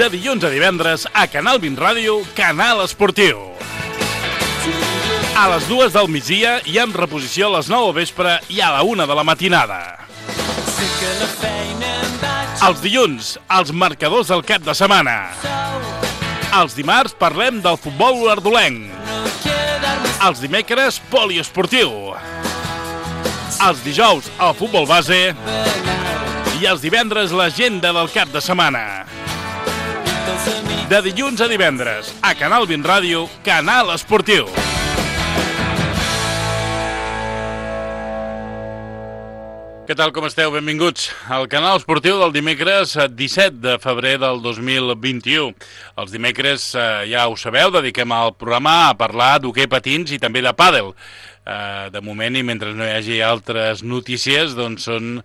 De dilluns a divendres a Canal 20 Ràdio, Canal Esportiu. A les 2 del migdia i amb reposició a les 9 al vespre i a la 1 de la matinada. Els dilluns, els marcadors del cap de setmana. Els dimarts parlem del futbol olordolenc. Els dimecres, poliesportiu. Els dijous, el futbol base. I els divendres, l'agenda del cap de setmana. De dilluns a divendres, a Canal 20 Ràdio, Canal Esportiu. Què tal, com esteu? Benvinguts al Canal Esportiu del dimecres 17 de febrer del 2021. Els dimecres, ja ho sabeu, dediquem al programa a parlar d'hoquei patins i també de pàdel. De moment, i mentre no hi hagi altres notícies, doncs són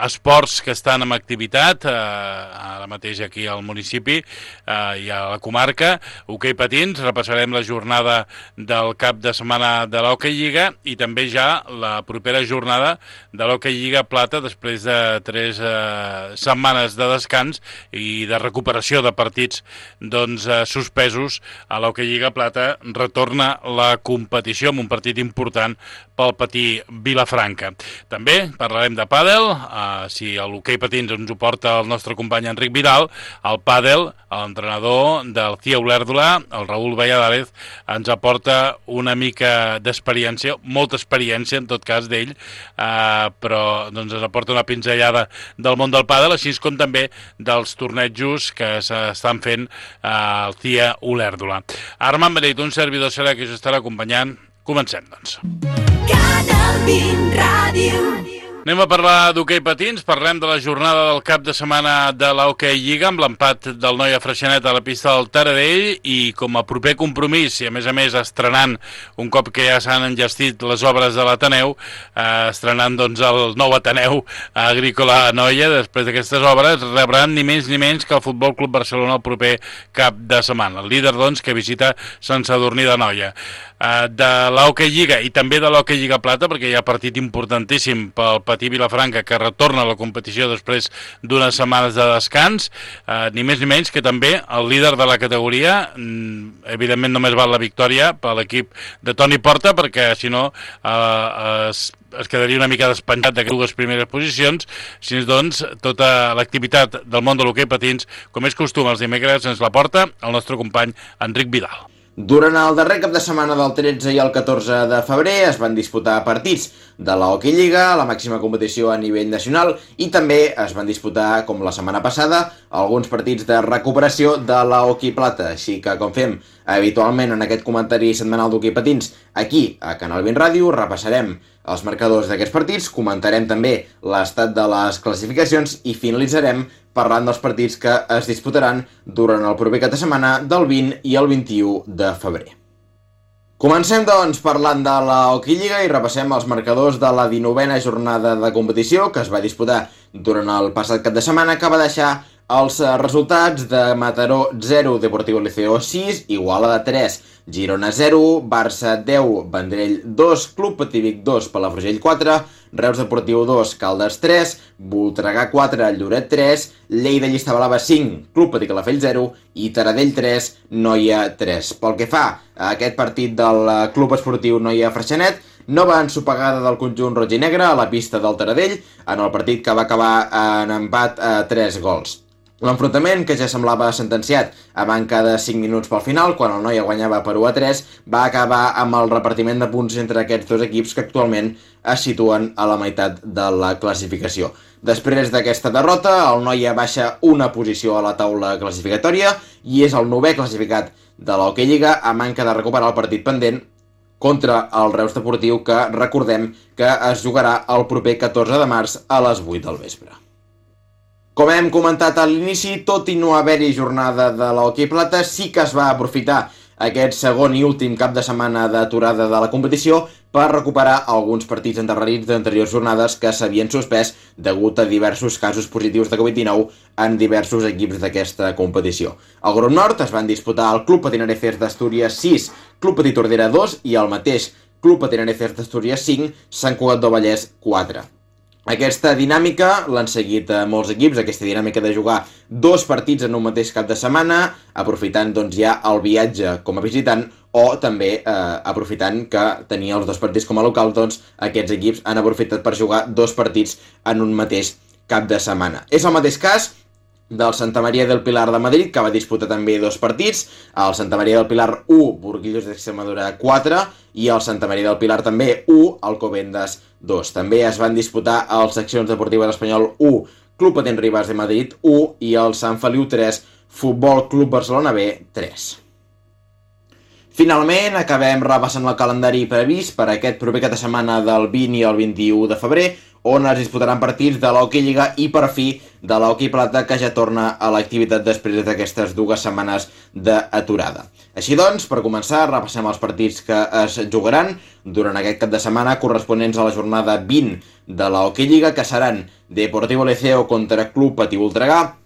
esports que estan en activitat ara mateix aquí al municipi i a la comarca. Hoquei patins, repassarem la jornada del cap de setmana de l'Hoquei Lliga i també ja la propera jornada de l'Hoquei Lliga Plata després de 3 setmanes de descans i de recuperació de partits suspesos. A l'Hoquei Lliga Plata retorna la competició amb un partit important pel Patí Vilafranca. També parlarem de pàdel, si l'hoquei patins ens ho porta el nostre company Enric Vidal, el pàdel, l'entrenador del CIA Olèrdola, el Raül Valladares, ens aporta una mica d'experiència, molta experiència en tot cas d'ell, però ens aporta una pinzellada del món del pàdel, així com també dels tornejos que s'estan fent al CIA Olèrdola. Armand Beneit, un servidor serà que us estarà acompanyant. Comencem, doncs. Canal 20 Ràdio. Anem a parlar d'hoquei patins, parlem de la jornada del cap de setmana de l'Hoquei Lliga amb l'empat del Noia Freixenet a la pista del Taradell i com a proper compromís i a més estrenant un cop que ja s'han enllestit les obres de l'Ateneu, estrenant el nou Ateneu Agrícola Noia, després d'aquestes obres rebran ni més ni menys que el Futbol Club Barcelona el proper cap de setmana, el líder que visita Sant Sadurní de Noia. De l'Hoquei Lliga i també de l'Hoquei Lliga Plata, perquè hi ha partit importantíssim pel Patí Vilafranca que retorna a la competició després d'unes setmanes de descans, ni més ni menys que també el líder de la categoria. Evidentment només val la victòria per l'equip de Toni Porta, perquè si no es quedaria una mica despenjat d'aquestes dues primeres posicions. Així doncs, tota l'activitat del món de l'hoquei patins, com és costum els dimecres, ens la porta el nostre company Enric Vidal. Durant el darrer cap de setmana del 13 i el 14 de febrer es van disputar partits de la Hoquei Lliga, la màxima competició a nivell nacional, i també es van disputar, com la setmana passada, alguns partits de recuperació de la Hoquei Plata. Així que, com fem habitualment en aquest comentari setmanal d'hoquei patins, aquí a Canal 20 Ràdio, repassarem els marcadors d'aquests partits, comentarem també l'estat de les classificacions i finalitzarem parlant dels partits que es disputaran durant el proper cap de setmana del 20 i el 21 de febrer. Comencem, doncs, parlant de la Hoquei Lliga i repassem els marcadors de la 19a jornada de competició que es va disputar durant el passat cap de setmana, que va deixar els resultats de Mataró 0, Deportivo Liceo 6, Igualada 3, Girona 0, Barça 10, Vendrell 2, Club Patí 2, Palafrugell 4, Reus Deportiu 2, Caldes 3, Voltregà 4, Lloret 3, Lleida Llista Blava 5, Club Patí Calafell 0 i Taradell 3, Noia 3. Pel que fa a aquest partit del Club Esportiu Noia Freixenet, nova ensopegada del conjunt roig i negre a la pista del Taradell en el partit que va acabar en empat a 3 gols. L'enfrontament, que ja semblava sentenciat a manca de 5 minuts pel final, quan el Noia guanyava per 1-3, va acabar amb el repartiment de punts entre aquests dos equips que actualment es situen a la meitat de la classificació. Després d'aquesta derrota, el Noia baixa una posició a la taula classificatòria i és el 9è classificat de l'Hoquei Lliga a manca de recuperar el partit pendent contra el Reus Deportiu, que recordem que es jugarà el proper 14 de març a les 8 del vespre. Com hem comentat a l'inici, tot i no haver-hi jornada de l'Hoquei Plata, sí que es va aprofitar aquest segon i últim cap de setmana d'aturada de la competició per recuperar alguns partits endarrerits d'anteriors jornades que s'havien suspès degut a diversos casos positius de Covid-19 en diversos equips d'aquesta competició. Al grup nord es van disputar el Club Patinereces d'Astúries 6, Club Patí Tordera 2 i el mateix Club Patinereces d'Astúries 5, Sant Cugat del Vallès 4. Aquesta dinàmica l'han seguit molts equips, aquesta dinàmica de jugar 2 partits en un mateix cap de setmana, aprofitant doncs, ja el viatge com a visitant o també aprofitant que tenia els 2 partits com a local, doncs aquests equips han aprofitat per jugar 2 partits en un mateix cap de setmana. És el mateix cas del Santa Maria del Pilar de Madrid, que va disputar també 2 partits, el Santa Maria del Pilar 1, Burguillos d'Extremadura 4, i el Santa Maria del Pilar també 1, Alcobendas 2. També es van disputar els Seccions Deportives Espanyol 1, Club Patins Rivas de Madrid 1 i el Sant Feliu 3, Futbol Club Barcelona B 3. Finalment, acabem repassant el calendari previst per aquest proper cap de setmana del 20 i el 21 de febrer, on es disputaran partits de l'Hockey Lliga i per fi de l'Hockey Plata, que ja torna a l'activitat després d'aquestes 2 setmanes d'aturada. Així doncs, per començar, repassem els partits que es jugaran durant aquest cap de setmana corresponents a la jornada 20 de l'Hockey Lliga, que seran Deportivo Liceo contra Club Patí Voltregà,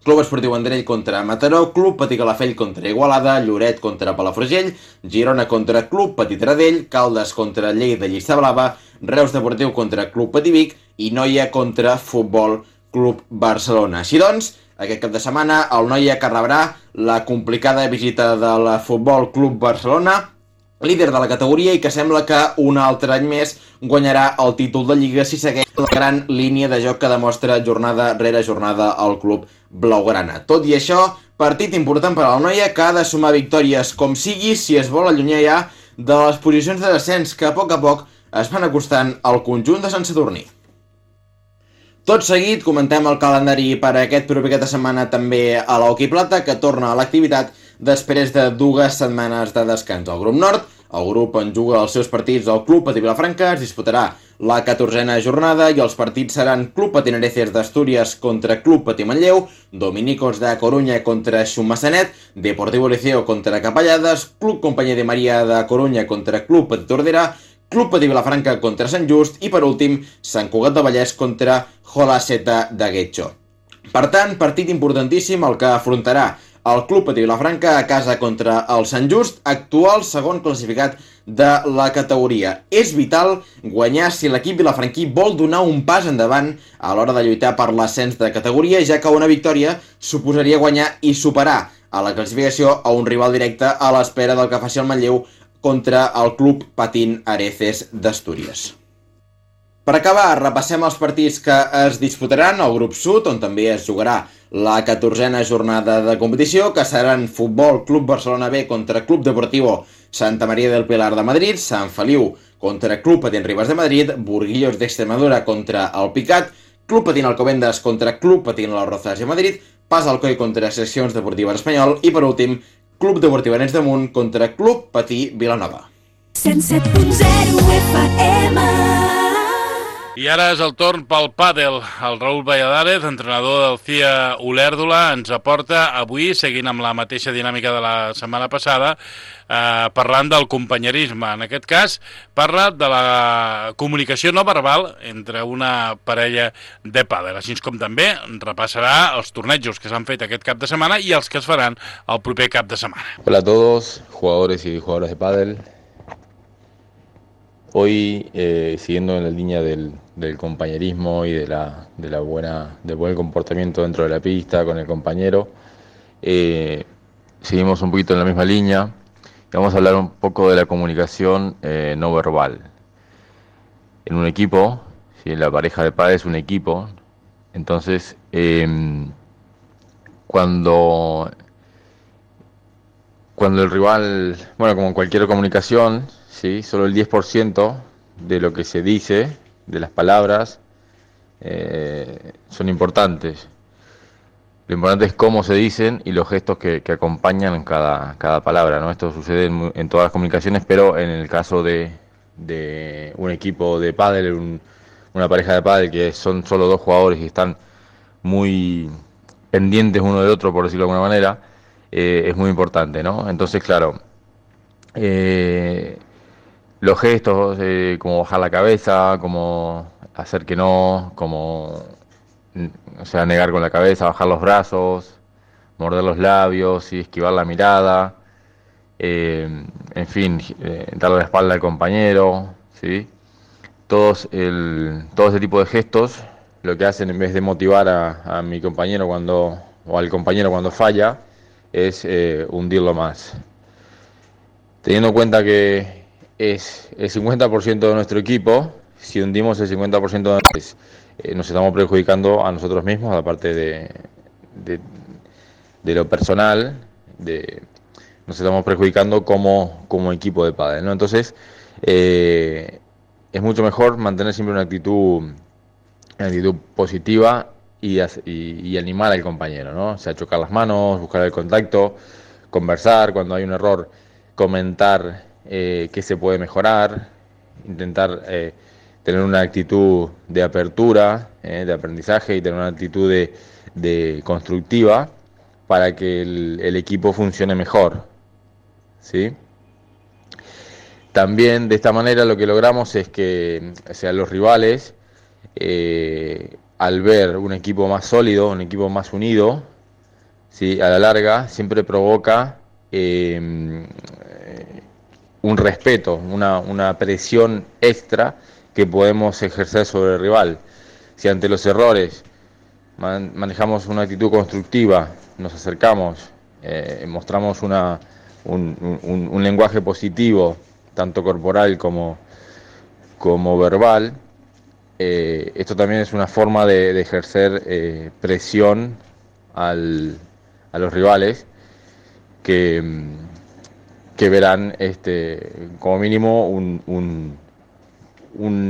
Club Esportiu Vendrell contra Mataró, Club Patí Calafell contra Igualada, Lloret contra Palafrugell, Girona contra Club Patí Taradell, Caldes contra Lleida Llista Blava, Reus Deportiu contra Club Patí Vic i Noia contra Futbol Club Barcelona. Així doncs, aquest cap de setmana el Noia que rebrà la complicada visita del Futbol Club Barcelona, líder de la categoria i que sembla que un altre any més guanyarà el títol de Lliga si segueix la gran línia de joc que demostra jornada rere jornada el club blaugrana. Tot i això, partit important per al Noia que ha de sumar victòries com sigui si es vol allunyar ja de les posicions de descens que a poc es van acostant al conjunt de Sant Sadurní. Tot seguit comentem el calendari per aquest proper cap de setmana també a l'Hockey Plata, que torna a l'activitat després de 2 setmanes de descans. Al grup nord, el grup en juga els seus partits al Club Patí Vilafranca, es disputarà la 14a jornada i els partits seran Club Patinereces d'Astúries contra Club Patí Manlleu, Dominicos de Coruña contra Xumassanet, Deportivo Liceo contra Capellades, Club Companyia de Maria de Coruña contra Club Patí Tordera, Club Patí Vilafranca contra Sant Just i per últim Sant Cugat de Vallès contra Jolaceta de Guetxo. Per tant, partit importantíssim el que afrontarà el Club Patí Vilafranca a casa contra el Sant Just, actual segon classificat de la categoria. És vital guanyar si l'equip vilafranquí vol donar un pas endavant a l'hora de lluitar per l'ascens de categoria, ja que una victòria suposaria guanyar i superar a la classificació a un rival directe a l'espera del que faci el Manlleu contra el Club Patín Areces d'Astúries. Per acabar, repassem els partits que es disputaran al grup sud, on també es jugarà la 14a jornada de competició, que seran Futbol Club Barcelona B contra Club Deportivo Santa Maria del Pilar de Madrid, Sant Feliu contra Club Patins Rivas de Madrid, Burguillos d'Extremadura contra el Picat, Club Patín Alcobendas contra Club Patín Las Rozas de Madrid, Pas Alcoi contra Seccions Deportives Espanyol i, per últim, Club Deportiu Arenys de Munt contra Club Patí Vilanova. 107.0 FM. I ara és el torn pel pàdel. El Raül Valladares, entrenador del CIA Olèrdola, ens aporta avui, seguint amb la mateixa dinàmica de la setmana passada, parlant del companyerisme. En aquest cas, parla de la comunicació no verbal entre una parella de pàdel, així com també repassarà els tornejos que s'han fet aquest cap de setmana i els que es faran el proper cap de setmana. Hola a todos, jugadores y jugadoras de pádel. Hoy, siguiendo en la línea del compañerismo y del buen comportamiento dentro de la pista con el compañero, seguimos un poquito en la misma línea y vamos a hablar un poco de la comunicación no verbal. En un equipo, si la pareja de pádel es un equipo, entonces cuando el rival, bueno, como en cualquier comunicación, ¿sí? Solo el 10% de lo que se dice, de las palabras, son importantes. Lo importante es cómo se dicen y los gestos que acompañan cada palabra, ¿no? Esto sucede en todas las comunicaciones, pero en el caso de un equipo de pádel, una pareja de pádel que son solo 2 jugadores y están muy pendientes uno del otro, por decirlo de alguna manera, es muy importante, ¿no? Entonces, claro, los gestos, como bajar la cabeza, como hacer que no, como, o sea, negar con la cabeza, bajar los brazos, morder los labios y esquivar la mirada, en fin, darle la espalda al compañero, ¿sí? todo ese tipo de gestos lo que hacen, en vez de motivar a mi compañero o al compañero cuando falla, es hundirlo más. Teniendo en cuenta que es el 50% de nuestro equipo, si hundimos el 50% nos estamos perjudicando a nosotros mismos, aparte de lo personal, nos estamos perjudicando como equipo de pádel, ¿no? Entonces, es mucho mejor mantener siempre una actitud positiva y animar al compañero, ¿no? O sea, chocar las manos, buscar el contacto, conversar cuando hay un error, comentar qué se puede mejorar, intentar tener una actitud de apertura, de aprendizaje, y tener una actitud de constructiva para que el equipo funcione mejor, ¿sí? También de esta manera lo que logramos es que, o sea, los rivales, al ver un equipo más sólido, un equipo más unido, ¿sí?, a la larga siempre provoca un respeto, una presión extra que podemos ejercer sobre el rival. Si ante los errores manejamos una actitud constructiva, nos acercamos, mostramos un lenguaje positivo, tanto corporal como verbal, esto también es una forma de ejercer presión a los rivales que verán como mínimo un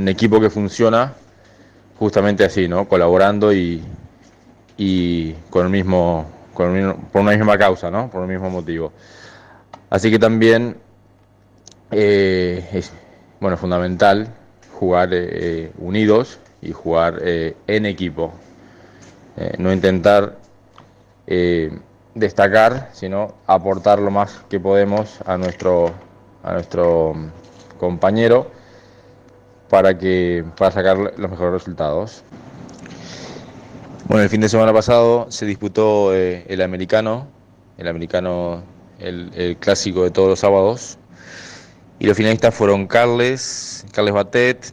equipo que funciona justamente así, ¿no? Colaborando y por una misma causa, ¿no? Por el mismo motivo. Así que también es fundamental jugar unidos y jugar en equipo. No intentar destacar, sino aportar lo más que podemos a nuestro compañero para sacar los mejores resultados. Bueno, el fin de semana pasado se disputó el americano, el clásico de todos los sábados, y los finalistas fueron Carles Batet,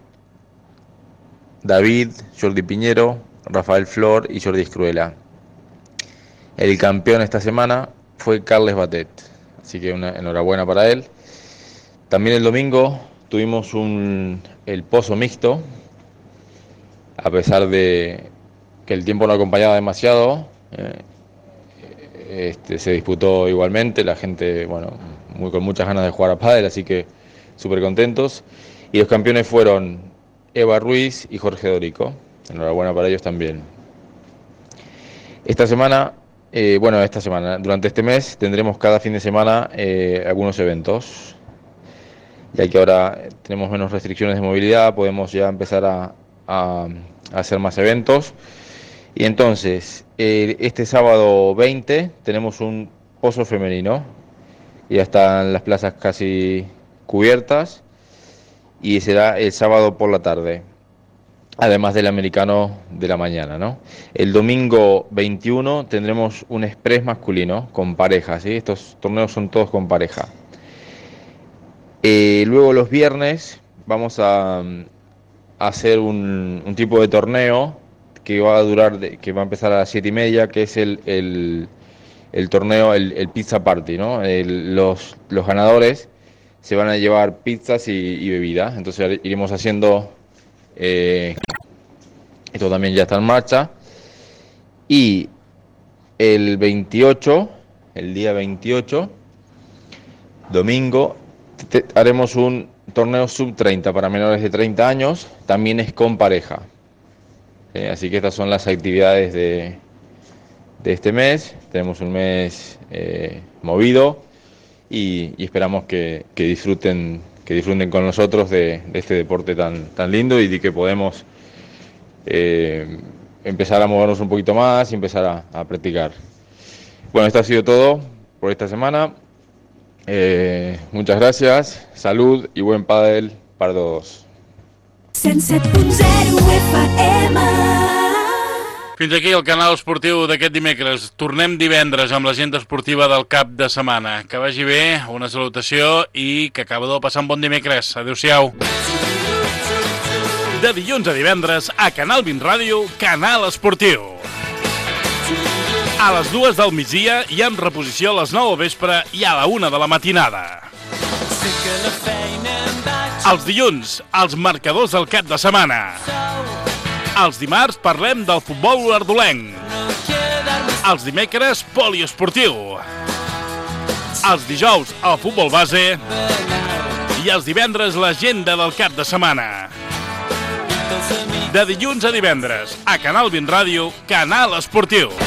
David, Jordi Piñero, Rafael Flor y Jordi Escruela. El campeón esta semana fue Carles Batet, así que enhorabuena para él. También el domingo tuvimos el pozo mixto, a pesar de que el tiempo no acompañaba demasiado, se disputó igualmente, la gente, con muchas ganas de jugar a pádel, así que súper contentos. Y los campeones fueron Eva Ruiz y Jorge Dorico. Enhorabuena para ellos también. Durante este mes tendremos cada fin de semana algunos eventos, ya que ahora tenemos menos restricciones de movilidad, podemos ya empezar a hacer más eventos. Y entonces, este sábado 20 tenemos un pozo femenino, ya están las plazas casi cubiertas, y será el sábado por la tarde, además del americano de la mañana, ¿no? El domingo 21 tendremos un express masculino con pareja, ¿sí? Estos torneos son todos con pareja. Luego los viernes vamos a hacer un tipo de torneo que va a empezar a las 7:30, que es el torneo, el Pizza Party, ¿no? Los ganadores se van a llevar pizzas y bebidas, entonces iremos haciendo, esto también ya está en marcha. Y el día 28, domingo, haremos un torneo sub-30 para menores de 30 años, también es con pareja. Así que estas son las actividades de este mes. Tenemos un mes movido y esperamos que disfruten con nosotros de este deporte tan lindo, y de que podemos empezar a movernos un poquito más y empezar a practicar. Bueno, esto ha sido todo por esta semana. Muchas gracias, salud i buen pàdel per todos. 107.0 FM. Fins aquí el canal esportiu d'aquest dimecres. Tornem divendres amb l'agenda esportiva del cap de setmana. Que vagi bé, una salutació i que acabeu de passar un bon dimecres. Adéu-siau. De dilluns a divendres a Canal 20 Ràdio, Canal Esportiu. A les 2 del migdia i amb reposició a les 9 del vespre i a la 1 de la matinada. Els dilluns, els marcadors del cap de setmana. Els dimarts parlem del futbol olordolenc. Els dimecres, poliesportiu. Els dijous, el futbol base. I els divendres, l'agenda del cap de setmana. De dilluns a divendres, a Canal 20 Ràdio, Canal Esportiu.